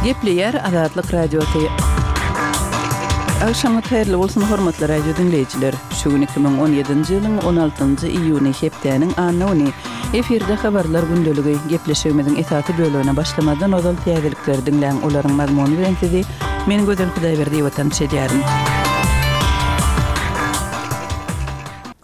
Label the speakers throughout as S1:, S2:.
S1: Gepleýär Azatlyk Radiosy. Agşamyňyz haýyrly bolsun, hormatly radio diňleýjiler! Şu gün 2017-nji ýylyň 16-njy iýuny, hepdäniň anna güni. Efirde Habarlar gündeligi. Gepleşigimiziň esasy bölegine başlamazdan ozal täzelikleri diňläň, olaryň mazmuny bilen sizi men Gözel Hudaýberdiýewa tanyş edýärin.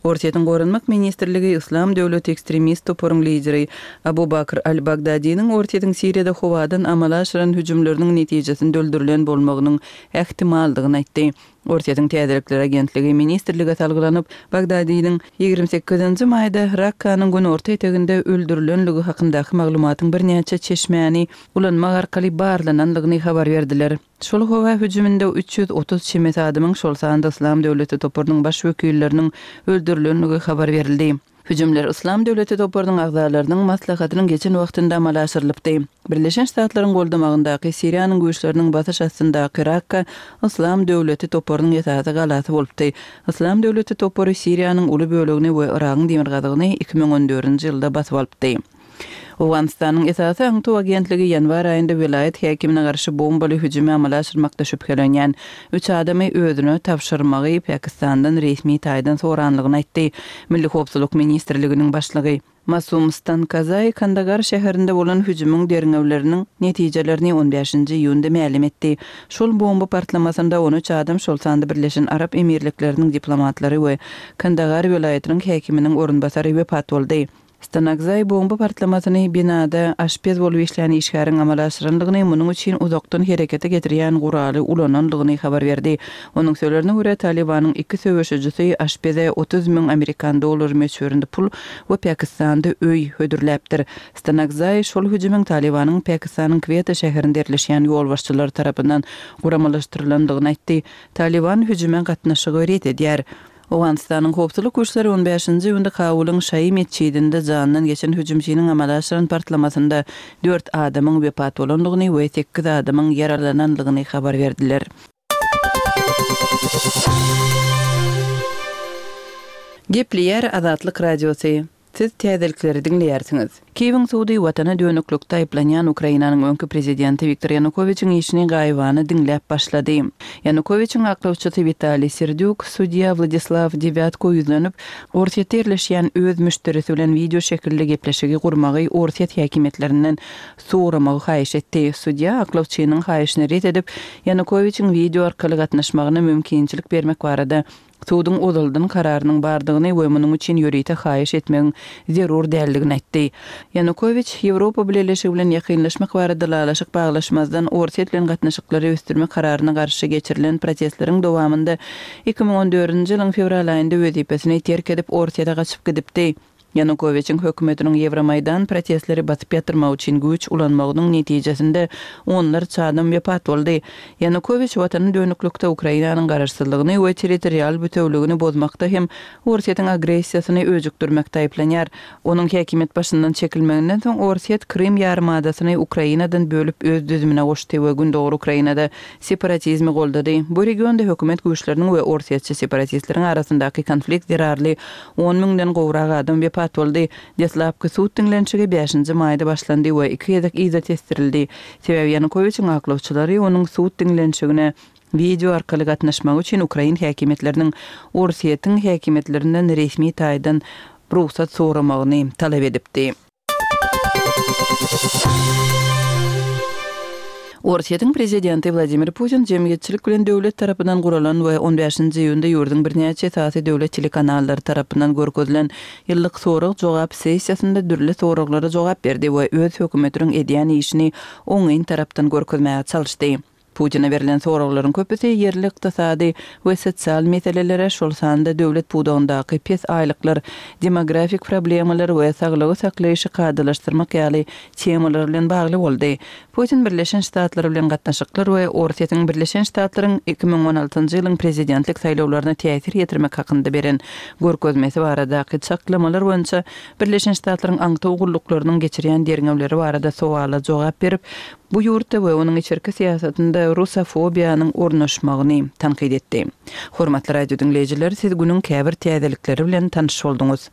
S1: Orsýetiň Goranmak ministrligi Yslam döwleti ekstremist toparyň lideri Abu Bakr al-Bagdadiniň Orsýetiň Siriýada howadan amala aşyran hüjümleriniň netijesinde öldürilen bolmagynyň ähtimaldygyny aýtdy. Orsýetiň täzelikler agentligi ministrlige salgylanyp, Bagdadiniň 28-nji maýda Rakkanyň günorta eteginde öldürilenligi hakyndaky maglumatyň birnäçe çeşmäni ulanmak arkaly barlanandygyny habar berdiler. Şol howa hüjüminde 330 çemesi adamyň, şol sanda Yslam döwleti toparynyň baş wekilleriniň öldürilenligi habar berildi. Hüjümler Yslam döwleti toparynyň agzalarynyň maslahatynyň geçen wagtynda amala aşyrylypdy. Birleşen Ştatlaryň goldamagyndaky Siriýanyň güýçleriniň basyş astyndaky Rakka Yslam döwleti toparynyň esasy galasy bolupdy. Yslam döwleti topary Siriýanyň uly bölegini we Yragyň demirgazygyny 2014-nji ýylda basyp alypdy. Owganystanyň esasy aňtaw agentligi ýanwar aýynda welaýat häkimine garşy bombaly hüjümi amala aşyrmakda şübhelenýän üç adamy özüne tabşyrmagy Pakistandan resmi taýdan soranlygyny aýtdy. Milli howpsuzlyk ministrliginiň başlygy Masum Stankazaý Kandagar şäherinde bolan hüjümiň derňewleriniň netijelerini on bäşinji iýunda mälim etdi. Şol bomba partlamasynda 13 adam, şol sanda Birleşen Arap Emirlikleriniň diplomatlary we Kandagar welaýatynyň häkiminiň orunbasary wepat boldy. Stanakzaý bomba partlamasyny binada aşpez bolup işlän işgäriň amala aşyrandygyny, munuň üçin uzakdan herekete getirýän guraly ulanandygyny habar berdi. Onuň sözlerine görä, Talybanyň iki söweşijisi aşpeze 30 müň amerikan dollary möçberinde pul we Pakistanda öý hödürläpdir. Stanakzaý şol hüjümiň Talybanyň Pakistanyň Kweta şäherinde ýerleşýän ýolbaşçylary tarapyndan guramalaşdyrylandygyny aýtdy. Talyban hüjüme gatnaşygy ret edýär. Owganystanyň howpsuzlyk güýçleri on bäşinji iýunda Kabulyň şaýy metjidinde janyndan geçen hüjümçiniň amala aşyran partlamasynda dört adamyň wepat bolandygyny we sekiz adamyň ýaralanandygyny habar berdiler. Gepleýär Azatlyk Radiosy. Siz täzelikleri diňleýärsiňiz. Kiýewiň sudy watana dönüklikde aýyplanýan Ukrainanyň öňki prezidenti Wiktor Ýanukowiçiň işini gaýybana diňläp başlady. Ýanukowiçiň aklawçysy Witaliý Serdýuk sudýa Wladislaw Dewýatko ýüzlenip, Orsýetde ýerleşýän öz müşderisi bilen wideo şekilli gepleşigi gurmagy orsýet häkimiýetlerinden soramagy haýyş etdi. Sudýa aklawçynyň haýyşyny ret edip, Ýanukowiçiň wideo arkaly gatnaşmagyna mümkinçilik bermek barada Suduň ozaldan kararynyň bardygyny we munuň üçin ýörite haýyş etmegiň zerur däldigini aýtdy. Ýanukowiç Ýewropa Bileleşigi bilen ýakynlaşmak barada ylalaşyk baglaşmazdan Orsýet bilen gatnaşyklary ösdürmek kararyna garşy geçirilen protestleriň dowamynda 2014-nji ýylyň fewral aýynda wezipesini terk edip Orsýete gaçyp gidipdi. Ýanukowiçiň hökümetiniň Ýewromaýdan protestleri basyp ýatyrmak üçin güýç ulanmagynyň netijesinde onlarça adam wepat boldy. Ýanukowiç watany dönüklikde Ukrainanyň garaşsyzlygyny we territorial bütewligini bozmakda hem Orsýetiň agressiýasyny öjükdirmekde aýyplanýar. Onuň häkimiýet başyndan çekilmeginden soň Orsýet Krym ýarymadasyny Ukrainadan bölüp öz düzümine goşdy we gündogar Ukrainada separatizmi goldady. Bu regionda hökümet güýçleriniň we orsýetçi separatistleriň arasyndaky konflikt zerarly On müňden gowrak adam wepat boldy. Deslapky sud diňlenişigi bäşinji maýda başlandy we iki gezek yza tesdirildi. Sebäbi Ýanukowiçiň aklawçylary onuň sud diňlenişigine wideo arkaly gatnaşmagy üçin ukrain häkimiýetleriniň Orsýetiň häkimiýetlerinden resmi taýdan rugsat soramagyny talap edipdi. Orsýetiň prezidenti Wladimir Putin jemgyýetçilik bilen döwlet tarapyndan guralan we on bäşinji iýunda ýurduň birnäçe esasy döwlet telekanallary tarapyndan görkezilen ýyllyk sorag-jogap sessiýasynda dürli soraglara jogap berdi we öz hökümetiniň edýän işini oňyn tarapdan görkezmäge çalyşdy. Putine berlen soraglaryň köpüsi ýerli ykdysady we sosial meselelere, şol sanda döwlet pudagyndaky pes aýlyklar, demografik problemalar we saglygy saklaýşy kadalaşdyrmak ýaly temalar bilen bagly boldy. Putin Birleşen Ştatlar bilen gatnaşyklar we Orsýetiň Birleşen Ştatlaryň 2016-njy ýylyň prezidentlik saýlawlaryna täsir ýetirmek hakynda beren görkezmesi baradaky çaklamalar boýunça Birleşen Ştatlaryň aňtaw gulluklarynyň geçirýän derňewleri barada sowala jogap berip, bu ýurtda we onuň içerki syýasatynda rusofobiýanyň ornaşmagyny tankyt etdi. Hormatly radio diňleýjiler, siz günüň käbir täzelikleri bilen tanyş bolduňyz.